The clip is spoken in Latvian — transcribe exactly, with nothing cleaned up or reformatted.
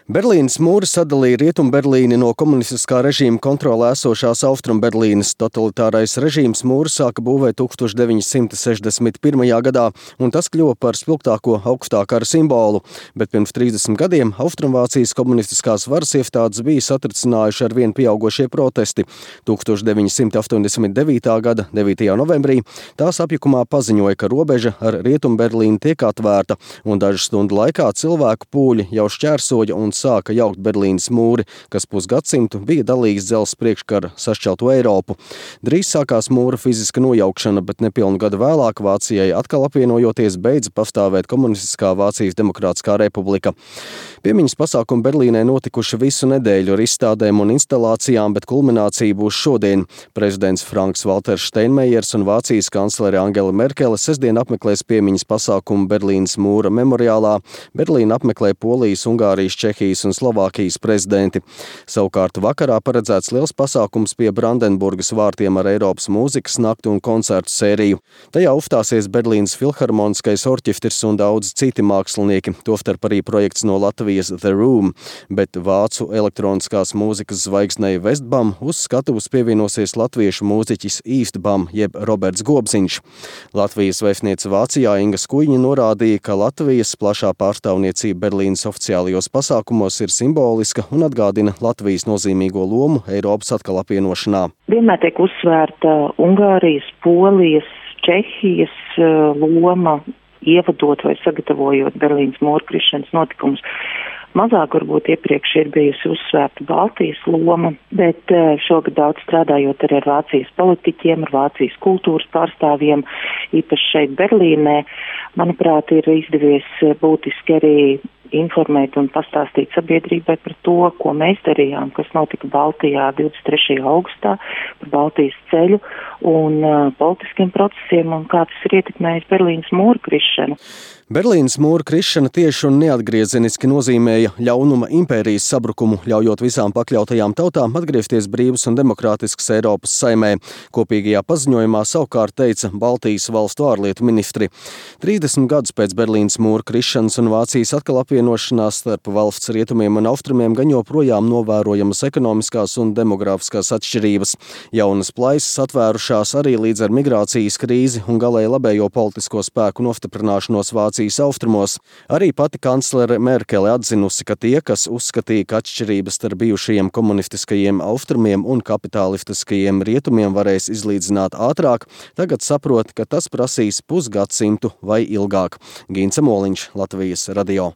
Berlīnes mūri sadalīja Rietumberlīni no komunistiskā režīma kontrolē esošās Austrumberlīnes. Totalitārais režīms mūru sāka būvēt tūkstoš deviņi simti sešdesmit pirmajā gadā, un tas kļuva par spilgtāko augstā kara simbolu. Bet pirms trīsdesmit gadiem Austrumvācijas komunistiskās varas iestādes bija satricinājuši ar vien pieaugošie protesti. tūkstoš deviņi simti astoņdesmit devītā gada devītajā novembrī tās apjukumā paziņoja, ka robeža ar Rietumberlīni tiek atvērta, un dažu stundu laikā cilvēku pūļi jau šķērsoja un sāka jaukt Berlīnes mūri, kas pusgadsimtu bija dalījis dzelzs priekškara sašķelto Eiropu. Drīz sākās mūra fiziska nojaukšana, bet nepilnu gadu vēlāk Vācijai atkal apvienojoties beidza pastāvēt komunistiskā Vācijas Demokrātiskā republika. Piemiņas pasākumi Berlīnē notikuši visu nedēļu ar izstādēm un instalācijām, bet kulminācija būs šodien. Prezidents Franks Valters Steinmeiers un Vācijas kanclere Angela Merkele sestdien apmeklēs piemiņas pasākumu Berlīnes mūra memoriālā. Berlīnu apmeklē Polijas, Ungārijas, Čehijas un Slovākijas prezidenti. Savukārt vakarā paredzēts liels pasākums pie Brandenburgas vārtiem ar Eiropas mūzikas nakti un koncertu sēriju. Tajā uzstāsies Berlīnes filharmoniskais orķestris un daudz citi mākslinieki, tostarp arī projekts no Latvijas The Room, bet vācu elektroniskās mūzikas zvaigznei Westbam uz skatuves pievienosies latviešu mūziķis Eastbam jeb Roberts Gobziņš. Latvijas vēstniece Vācijā Inga Skuiņa norādīja, ka Latvijas plašā pārstāvniecība Berlīnes oficiālajos pasākumos ir simboliska un atgādina Latvijas nozīmīgo lomu Eiropas atkal apvienošanā. Vienmēr tiek uzsvērta Ungārijas, Polijas, Čehijas loma, ievadot vai sagatavojot Berlīnes mūra krišanas notikumus. Mazāk varbūt iepriekš ir bijusi uzsvērta Baltijas loma, bet šogad daudz strādājot arī ar Vācijas politiķiem, ar Vācijas kultūras pārstāvjiem, īpaši šeit Berlīnē, manuprāt, ir izdevies būtiski arī informēt un pastāstīt sabiedrībai par to, ko mēs darījām, kas notika Baltijā divdesmit trešajā augustā, par Baltijas ceļu un uh, politiskiem procesiem un kā tas ir ietekmējis Berlīnes mūra krišanu. Berlīnes mūra krišana tieši un neatgriezeniski nozīmēja ļaunuma impērijas sabrukumu, ļaujot visām pakļautajām tautām atgriezties brīvas un demokrātiskas Eiropas saimē. Kopīgajā paziņojumā savukārt teica Baltijas valstu ārlietu ministri. trīsdesmit gadus pēc Berlīnes mūra krišanas un Vācijas atkal apvienošanās starp valsts rietumiem un austrumiem gan joprojām novērojamas ekonomiskās un demogrāfiskās atšķirības. Jaunas plaisas atvērušās arī līdz ar migrācijas krīzi un galēji labējo politisko spēku nostiprināšanos Vācijas austrumos. Arī pati kanclere Merkele atzinusi, ka tie, kas uzskatīja, ka atšķirības starp bijušajiem komunistiskajiem austrumiem un kapitalistiskajiem rietumiem varēs izlīdzināt ātrāk, tagad saprot, ka tas prasīs pusgadsimtu vai ilgāk. Gince Moliņš, Latvijas radio.